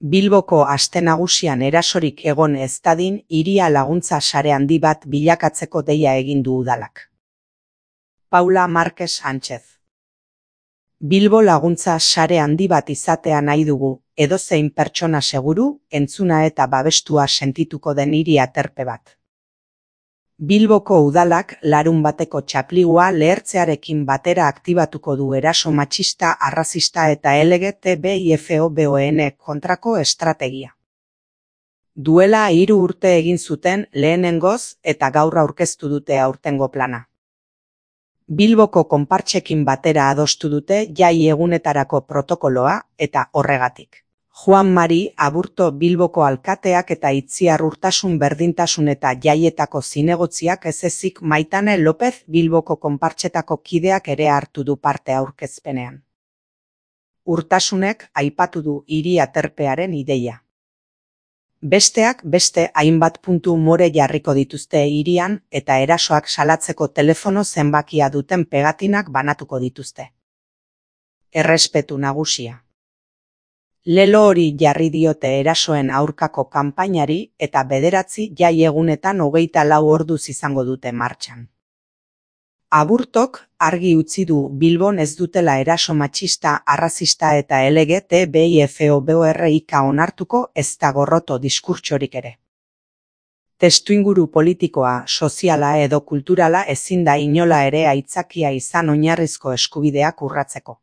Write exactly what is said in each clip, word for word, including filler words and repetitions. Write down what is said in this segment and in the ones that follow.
Bilboko aste nagusian erasorik egon ez dadin hiria laguntza sare handi bat bilakatzeko deia egin du udalak. Paula Márquez Sánchez. Bilbo laguntza sare handi bat izatea nahi dugu, edozein pertsona seguru, entzuna eta babestua sentituko den hiri aterpe bat. Bilboko udalak larun bateko txapligua lehertzearekin batera aktibatuko du eraso matxista, arrazista eta L G T B I F O B O N kontrako estrategia. Duela hiru urte egin zuten lehenengoz eta gaur aurkeztu dute aurtengo plana. Bilboko konpartsekin batera adostu dute jai egunetarako protokoloa eta horregatik. Juan Mari Aburto Bilboko alkateak eta Itziar Urtasun Berdintasun eta Jaietako zinegotziak ez ezik Maitane López Bilboko konpartsetako kideak ere hartu du parte aurkezpenean. Urtasunek aipatu du hiri aterpearen ideia. Besteak beste hainbat puntu more jarriko dituzte hirian eta erasoak salatzeko telefono zenbakia duten pegatinak banatuko dituzte. Errespetu nagusia. Lelo hori jarri diote erasoen aurkako kanpainari eta bederatzi jai egunetan hogeita lau orduz izango dute martxan. Aburtok argi utzi du Bilbon ez dutela eraso matxista, arrazista eta L G T B I F O B O R ika onartuko ezta gorroto diskurtsorik ere. Testuinguru politikoa, soziala edo kulturala ezin da inola ere aitzakia izan oinarrizko eskubideak urratzeko.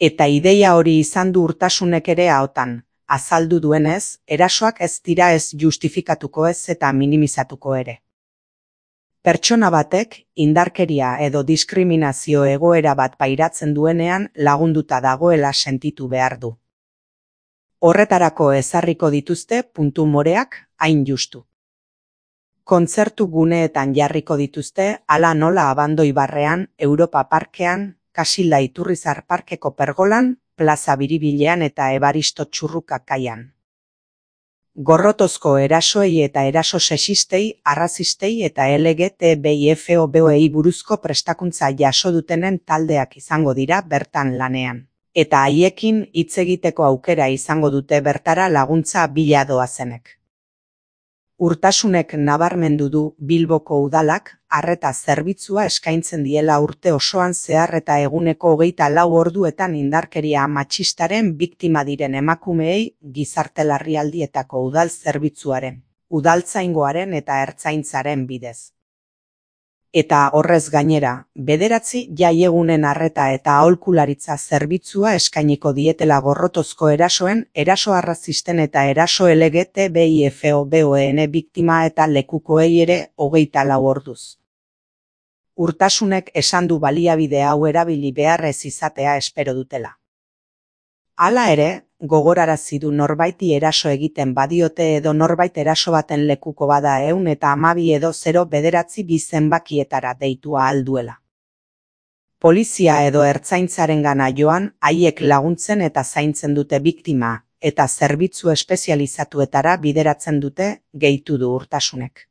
Eta ideia hori izan du Urtasunek ere ahotan, azaldu duenez, erasoak ez dira ez justifikatuko ez eta minimizatuko ere. Pertsona batek indarkeria edo diskriminazio egoera bat pairatzen duenean lagunduta dagoela sentitu behar du. Horretarako ezarriko dituzte puntu moreak hain justu. Kontzertu guneetan jarriko dituzte hala nola Abandoi barrean, Europa Parkean, Kasilda Iturrizar Parkeko pergolan, Plaza Biribilean eta Ebaristo Txurruka kaian. Gorrotozko erasoei eta eraso sexistei, arrazistei eta L G T B I F O B O ei buruzko prestakuntza jaso dutenen taldeak izango dira bertan lanean. Eta haiekin hitz egiteko aukera izango dute bertara laguntza bila doazenek. Urtasunek nabarmendu du Bilboko udalak arreta zerbitzua eskaintzen diela urte osoan zehar eta eguneko hogeita lau orduetan indarkeria matxistaren biktima diren emakumeei gizarte larrialdietako udal zerbitzuaren, udaltzaingoaren eta ertzaintzaren bidez. Eta horrez gainera, bederatzi jaiegunen arreta eta aholkularitza zerbitzua eskainiko dietela gorrotozko erasoen, eraso arrazisten eta eraso L G T B I F O B O N biktima eta lekukoei ere hogeita lau orduz. Urtasunek esan du baliabide hau erabili beharrez izatea espero dutela. Hala ere, gogorarazi du norbaiti eraso egiten badiote edo norbait eraso baten lekuko bada ehun eta hamabi edo zero bederatzi bi zenbakietara deitua alduela. Polizia edo ertzaintzarengana joan haiek laguntzen eta zaintzen dute biktima, eta zerbitzu espezializatuetara bideratzen dute, gehitu du Urtasunek.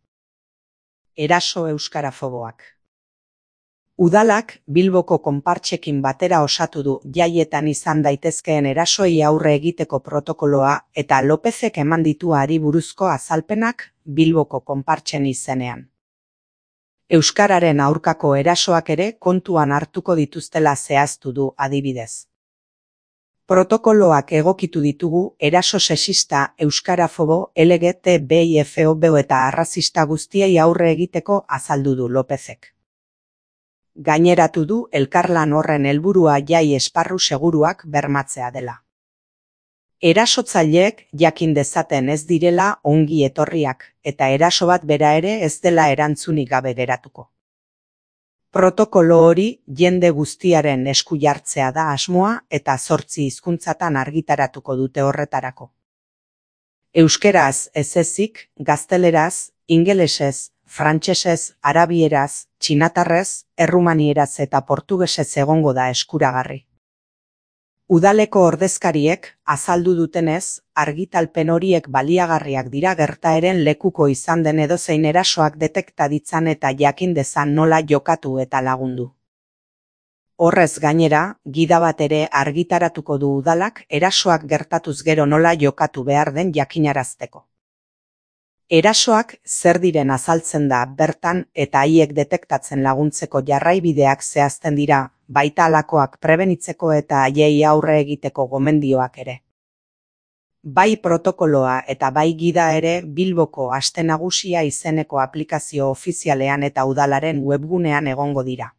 Eraso euskarafoboak. Udalak Bilboko konpartsekin batera osatu du jaietan izan daitezkeen erasoei aurre egiteko protokoloa eta Lópezek eman ditu hari buruzko azalpenak Bilboko konpartsen izenean. Euskararen aurkako erasoak ere kontuan hartuko dituztela zehaztu du adibidez. Protokoloak egokitu ditugu eraso sexista, euskarafobo, L G T B I F O B O eta arrazista guztiei aurre egiteko azaldu du Lópezek. Gaineratu du elkarlan horren helburua jai esparru seguruak bermatzea dela. Erasotzaileek jakin dezaten ez direla ongi etorriak eta eraso bat bera ere ez dela erantzunik gabe geratuko. Protokolo hori jende guztiaren esku jartzea da asmoa eta zortzi hizkuntzatan argitaratuko dute horretarako. Euskeraz ez ezik, gazteleraz, ingelesez, frantsesez, arabieraz, txinatarrez, errumanieraz eta portugesez egongo da eskuragarri. Udaleko ordezkariek azaldu dutenez, argitalpen horiek baliagarriak dira gertaeren lekuko izan den edozein erasoak detekta ditzan eta jakin dezan nola jokatu eta lagundu. Horrez gainera, gida bat ere argitaratuko du udalak erasoak gertatuz gero nola jokatu behar den jakinarazteko. Erasoak zer diren azaltzen da bertan eta haiek detektatzen laguntzeko jarraibideak zehazten dira, baita halakoak prebenitzeko eta haiei aurre egiteko gomendioak ere. Bai protokoloa eta bai gida ere Bilboko Aste Nagusia izeneko aplikazio ofizialean eta udalaren webgunean egongo dira.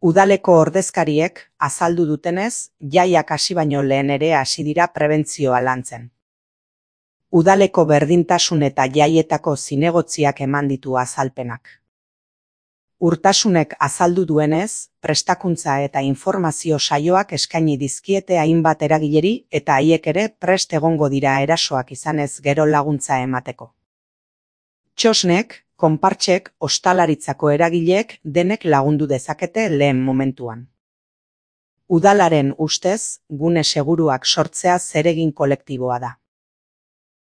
Udaleko ordezkariek azaldu dutenez, jaiak hasi baino lehen ere hasi dira prebentzioa lantzen. Udaleko berdintasun eta jaietako zinegotziak eman ditu azalpenak. Urtasunek azaldu duenez, prestakuntza eta informazio saioak eskaini dizkiete hainbat eragileri eta haiek ere prest egongo dira erasoak izanez gero laguntza emateko. Txosnek, konpartsek, ostalaritzako eragileek denek lagundu dezakete lehen momentuan. Udalaren ustez, gune seguruak sortzea zeregin kolektiboa da.